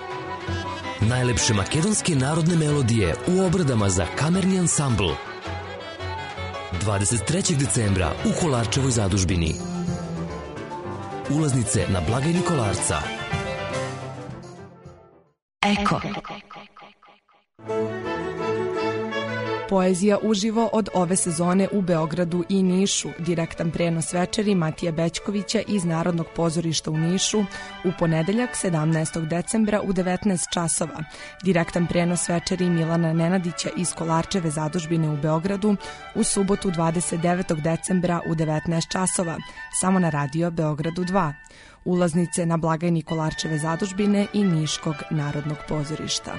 Najlepše makedonske narodne melodije u obradama za kamerni ansambl. dvadeset trećeg decembra u Kolarčevoj zadužbini. Ulaznice na blagajni Kolarca. Eko. Poezija uživo od ove sezone u Beogradu i Nišu. Direktan prenos večeri Matije Bećkovića iz Narodnog pozorišta u Nišu u ponedeljak sedamnaestog decembra u devetnaest časova. Direktan prenos večeri Milana Nenadića iz Kolarčeve zadužbine u Beogradu u subotu dvadeset devetog decembra u devetnaest časova. Samo na radio Beogradu dva. Ulaznice na blagajni Kolarčeve zadužbine i Niškog Narodnog pozorišta.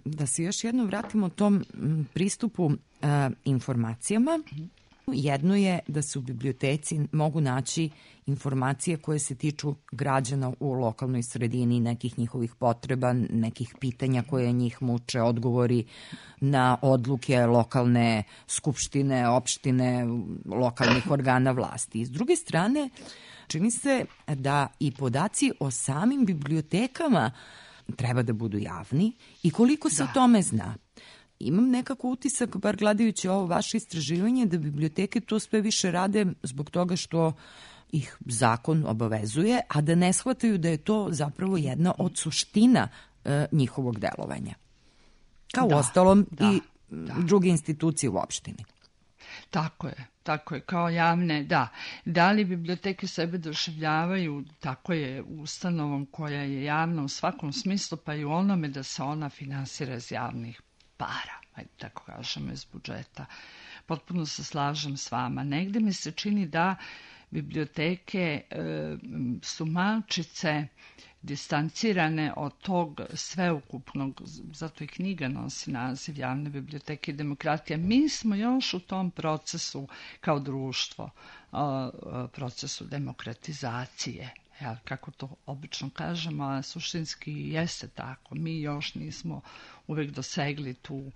Da se još jednom vratimo tom pristupu uh, informacijama. Jedno je da se u biblioteci mogu naći informacije koje se tiču građana u lokalnoj sredini, nekih njihovih potreba, nekih pitanja koje njih muče, odgovori na odluke lokalne skupštine, opštine, lokalnih organa vlasti. I s druge strane, čini se da i podaci o samim bibliotekama treba da budu javni i koliko se da. o tome zna. Imam nekako utisak, bar gledajući ovo vaše istraživanje, da biblioteke to sve više rade zbog toga što ih zakon obavezuje, a da ne shvataju da je to zapravo jedna od suština e, njihovog delovanja. Kao da, ostalom da, i da. druge institucije u opštini. Tako je, tako je, kao javne, da. Da li biblioteke sebe doživljavaju, tako je, ustanovom koja je javna u svakom smislu, pa i u onome da se ona finansira iz javnih para, ajde tako kažemo, iz budžeta. Potpuno se slažem s vama. Negde mi se čini da biblioteke e, su malčice distancirane od tog sveukupnog, zato i knjiga nosi naziv Javne biblioteke i demokratija. Mi smo još u tom procesu kao društvo, procesu demokratizacije, jel, kako to obično kažemo, a suštinski jeste tako. Mi još nismo uvek dosegli tu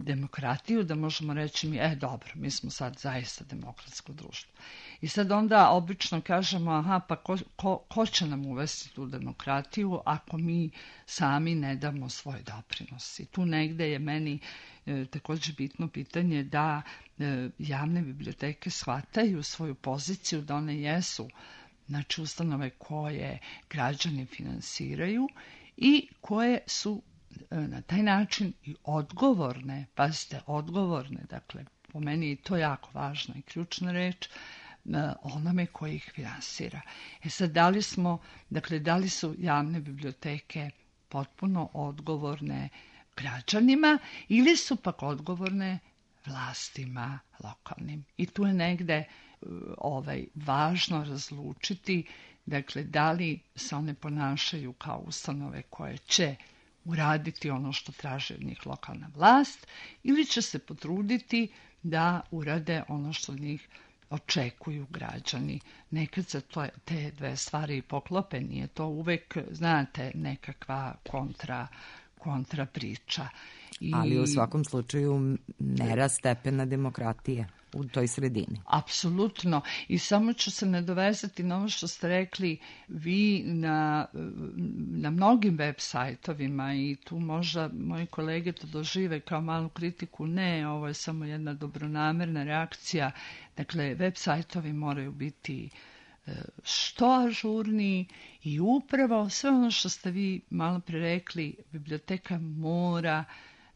demokratiju, da možemo reći mi, e dobro, mi smo sad zaista demokratsko društvo. I sad onda obično kažemo, aha, pa ko, ko, ko će nam uvesti tu demokratiju ako mi sami ne damo svoj doprinos. I tu negde je meni e, također bitno pitanje da e, javne biblioteke shvataju svoju poziciju, da one jesu, znači, ustanove koje građani finansiraju i koje su na taj način i odgovorne, pazite, odgovorne, dakle, po meni je to jako važna i ključna reč, onome koji ih finansira. E sad, da li smo, dakle, da li su javne biblioteke potpuno odgovorne građanima ili su pak odgovorne vlastima lokalnim? I tu je negde ovaj, važno razlučiti, dakle, da li se one ponašaju kao ustanove koje će uraditi ono što traži od njih lokalna vlast ili će se potruditi da urade ono što od njih očekuju građani. Nekad se to, te dve stvari poklope, nije to uvek, znate, nekakva kontra, kontra priča. I... Ali u svakom slučaju mera stepena demokratije u toj sredini. Apsolutno. I samo ću se nadovezati na ovo što ste rekli, vi na, na mnogim web sajtovima, i tu možda moji kolege to dožive kao malu kritiku, ne, ovo je samo jedna dobronamerna reakcija. Dakle, web sajtovi moraju biti što ažurniji i upravo sve ono što ste vi malo pre rekli, biblioteka mora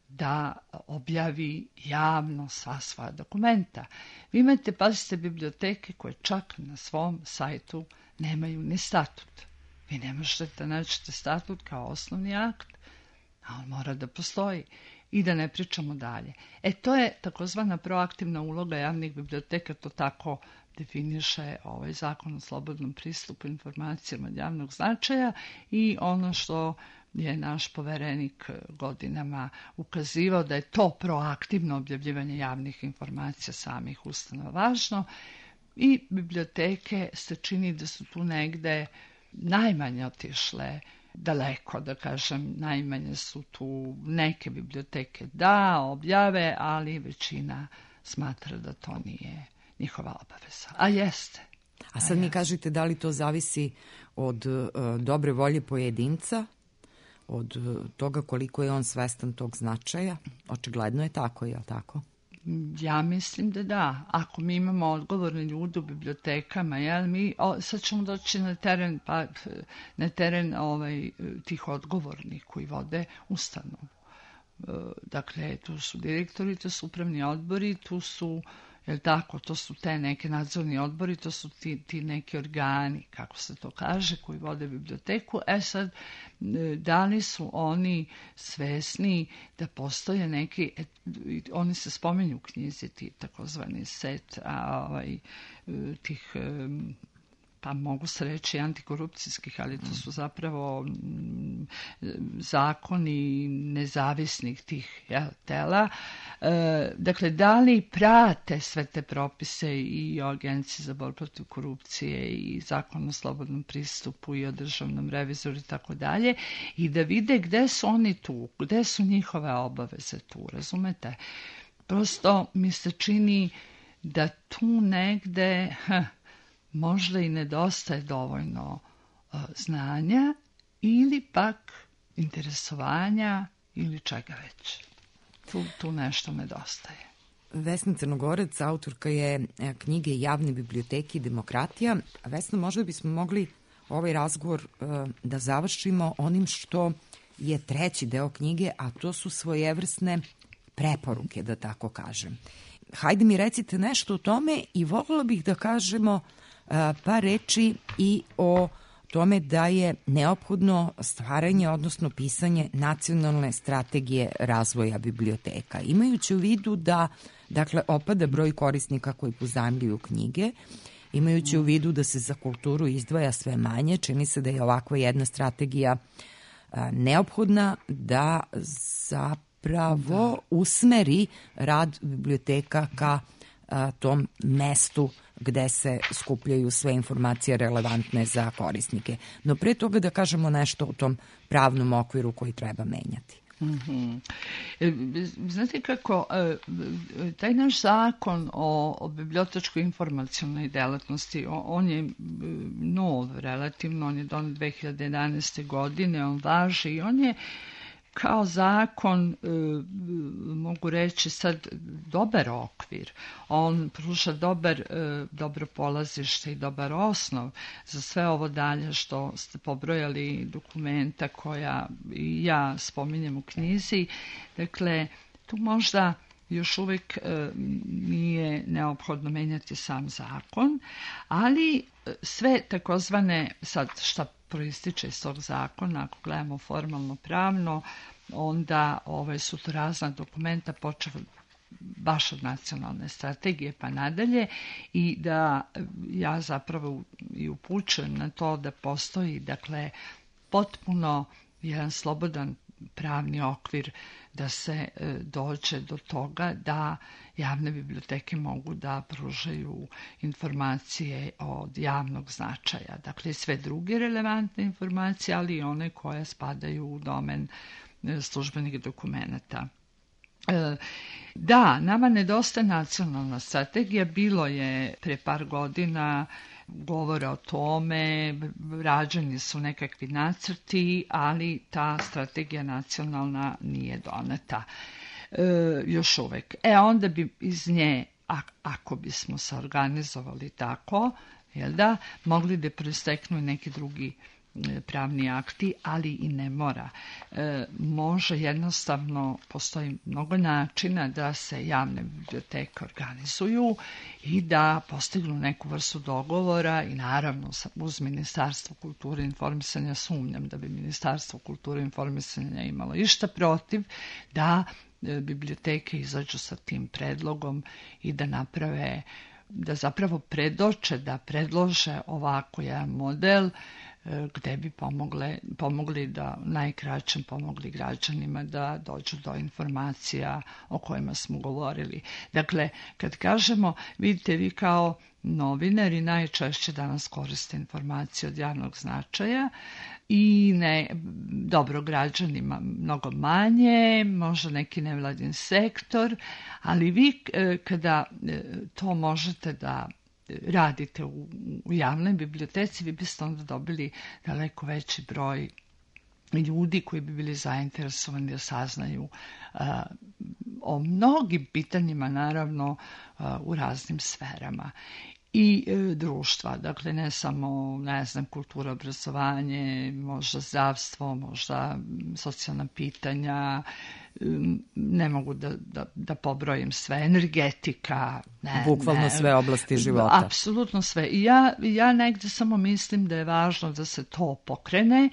da objavi javno sva svoja dokumenta. Vi imate, pazite, biblioteke koje čak na svom sajtu nemaju ni statut. Vi ne možete da nađete statut kao osnovni akt, a on mora da postoji. I da ne pričamo dalje. E, to je takozvana proaktivna uloga javnih biblioteka, to tako definiše ovaj zakon o slobodnom pristupu informacijama od javnog značaja i ono što je naš poverenik godinama ukazivao da je to proaktivno objavljivanje javnih informacija samih ustanova važno i biblioteke se čini da su tu negde najmanje otišle daleko, da kažem, najmanje su tu neke biblioteke da objave, ali većina smatra da to nije njihova obaveza. A jeste. A sad mi kažete da li to zavisi od uh, dobre volje pojedinca, od uh, toga koliko je on svestan tog značaja? Očigledno je tako, je li tako? Ja mislim da da. Ako mi imamo odgovorne ljude u bibliotekama, jel, mi, o, sad ćemo doći na teren, pa, na teren ovaj, tih odgovornih koji vode ustanovu. Dakle, tu su direktori, tu su upravni odbori, tu su, jel tako, to su te neke nadzorni odbori, to su ti, ti neki organi, kako se to kaže, koji vode biblioteku. E sad, da li su oni svesni da postoje neki, oni se spomenju u knjizi, ti takozvani set a, ovaj, tih, pa mogu se reći antikorupcijskih, ali to su zapravo zakoni nezavisnih tih, jel, tela. E, dakle, da li prate sve te propise i o Agenciji za borbu protiv korupcije i zakon o slobodnom pristupu i o državnom revizoru i tako dalje, i da vide gde su oni tu, gde su njihove obaveze tu, razumete? Prosto mi se čini da tu negde ha, možda i nedostaje dovoljno uh, znanja ili pak interesovanja ili čega već. Tu, tu nešto nedostaje. Vesna Crnogorec, autorka je knjige Javne biblioteke i demokratija. Vesna, možda bismo mogli ovaj razgovor uh, da završimo onim što je treći deo knjige, a to su svojevrsne preporuke, da tako kažem. Hajde mi recite nešto o tome i voljela bih da kažemo pa reći i o tome da je neophodno stvaranje, odnosno pisanje nacionalne strategije razvoja biblioteka. Imajući u vidu da, dakle, opada broj korisnika koji pozajmljuju knjige Imajući u vidu da se za kulturu izdvaja sve manje, čini se da je ovakva jedna strategija a, neophodna da zapravo da. usmeri rad biblioteka ka a, tom mestu gde se skupljaju sve informacije relevantne za korisnike. No pre toga da kažemo nešto o tom pravnom okviru koji treba menjati. Mm-hmm. Znate kako, taj naš zakon o, o bibliotečkoj informacionoj delatnosti, on je nov relativno, on je donet dve hiljade jedanaeste. godine, on važi i on je kao zakon, mogu reći sad, dobar okvir. On pruža dobar, dobro polazište i dobar osnov za sve ovo dalje što ste pobrojali, dokumenta koja i ja spominjem u knjizi. Dakle, tu možda još uvijek nije neophodno menjati sam zakon, ali sve takozvane, sad šta proističe iz tog zakona, ako gledamo formalno pravno, onda ove su to razna dokumenta počeo baš od nacionalne strategije pa nadalje i da ja zapravo i upućujem na to da postoji, dakle, potpuno jedan slobodan pravni okvir da se e, dođe do toga da javne biblioteke mogu da pružaju informacije od javnog značaja. Dakle, sve druge relevantne informacije, ali i one koje spadaju u domen e, službenih dokumenata. E, da, nama nedostaje nacionalna strategija. Bilo je pre par godina govora o tome, rađeni su nekakvi nacrti, ali ta strategija nacionalna nije doneta e, još uvek. E onda bi iz nje, a, ako bismo se organizovali tako, jel da, mogli da proisteknu i neki drugi pravni akti, ali i ne mora. E, može jednostavno, postoji mnogo načina da se javne biblioteke organizuju i da postignu neku vrstu dogovora i naravno uz Ministarstvo kulture i informisanja sumnjam da bi Ministarstvo kulture i informisanja imalo išta protiv da e, biblioteke izađu sa tim predlogom i da naprave, da zapravo predoče, da predlože ovako jedan model gde bi pomogle, pomogli da najkraćem pomogli građanima da dođu do informacija o kojima smo govorili. Dakle, kad kažemo, vidite, vi kao novinari najčešće danas koriste informacije od javnog značaja i ne, dobro, građanima mnogo manje, možda neki nevladin sektor, ali vi kada to možete da radite u, u javnoj biblioteci, vi biste onda dobili daleko veći broj ljudi koji bi bili zainteresovani da saznaju uh, o mnogim pitanjima, naravno, uh, u raznim sferama i e, društva. Dakle, ne samo, ne znam, kultura, obrazovanje, možda zdravstvo, možda socijalna pitanja, ne mogu da, da, da pobrojim sve, energetika. Ne, Bukvalno ne, sve oblasti života. Apsolutno sve. I ja, ja negde samo mislim da je važno da se to pokrene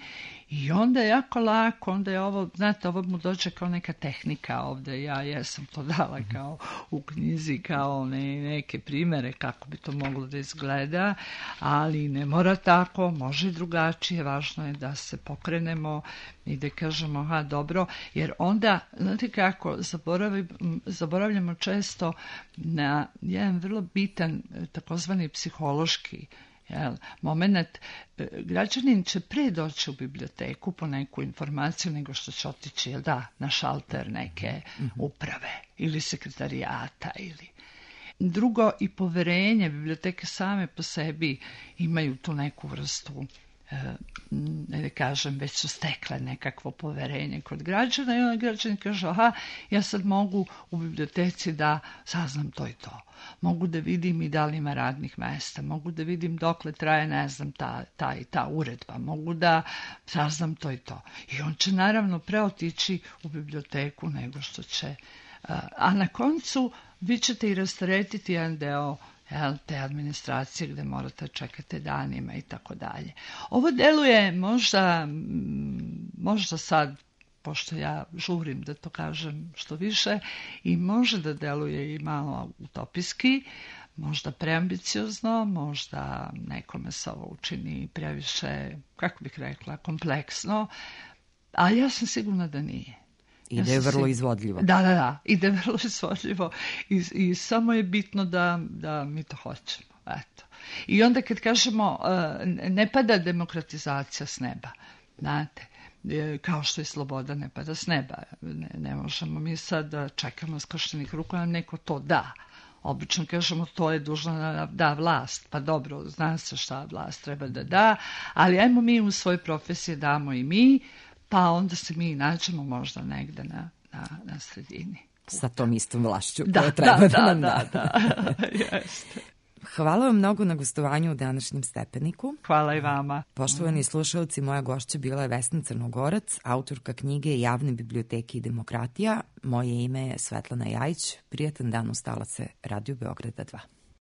i onda je jako lako, onda je ovo, znate, ovo mu dođe kao neka tehnika ovde, ja jesam to dala kao u knjizi, kao ne, neke primere kako bi to moglo da izgleda, ali ne mora tako, može i drugačije, važno je da se pokrenemo i da kažemo, aha, dobro, jer onda, znate kako, zaboravljamo često na jedan vrlo bitan takozvani psihološki Jel, moment, građanin će pre doći u biblioteku po neku informaciju nego što će otići, jel da, na šalter neke uprave ili sekretarijata ili... Drugo, i poverenje, biblioteke same po sebi imaju tu neku vrstu, ne da kažem, već su stekle nekakvo poverenje kod građana i onda građani kažu, aha, ja sad mogu u biblioteci da saznam to i to. Mogu da vidim i da li ima radnih mesta, mogu da vidim dokle traje, ne znam, ta, ta i ta uredba, mogu da saznam to i to. I on će naravno preotići u biblioteku nego što će, a na koncu vi ćete i rasteretiti jedan deo te administracije gde morate čekati danima i tako dalje. Ovo deluje možda, možda sad, pošto ja žurim da to kažem što više, i može da deluje i malo utopijski, možda preambiciozno, možda nekome se ovo učini previše, kako bih rekla, kompleksno, ali ja sam sigurna da nije. I da je vrlo izvodljivo. Da, da, da, i da je vrlo izvodljivo i, i samo je bitno da, da mi to hoćemo, eto. I onda kad kažemo, ne pada demokratizacija s neba, znate, kao što i sloboda ne pada s neba. Ne, ne možemo mi sad da čekamo skrštenih ruku, nam neko to da. Obično kažemo to je dužna da da vlast, pa dobro, zna se šta vlast treba da da, ali ajmo mi u svojoj profesiji damo i mi, pa onda se mi nađemo možda negde na, na, na sredini. Sa tom istom vlašću da, koja treba da, da, da nam da. Da, da, jeste. Hvala vam mnogo na gostovanju u današnjem Stepeniku. Hvala i vama. Poštovani slušalci, moja gošća bila je Vesna Crnogorac, autorka knjige Javne biblioteke i demokratija. Moje ime je Svetlana Jajić. Prijatan dan, ustala se Radio Beograda dva.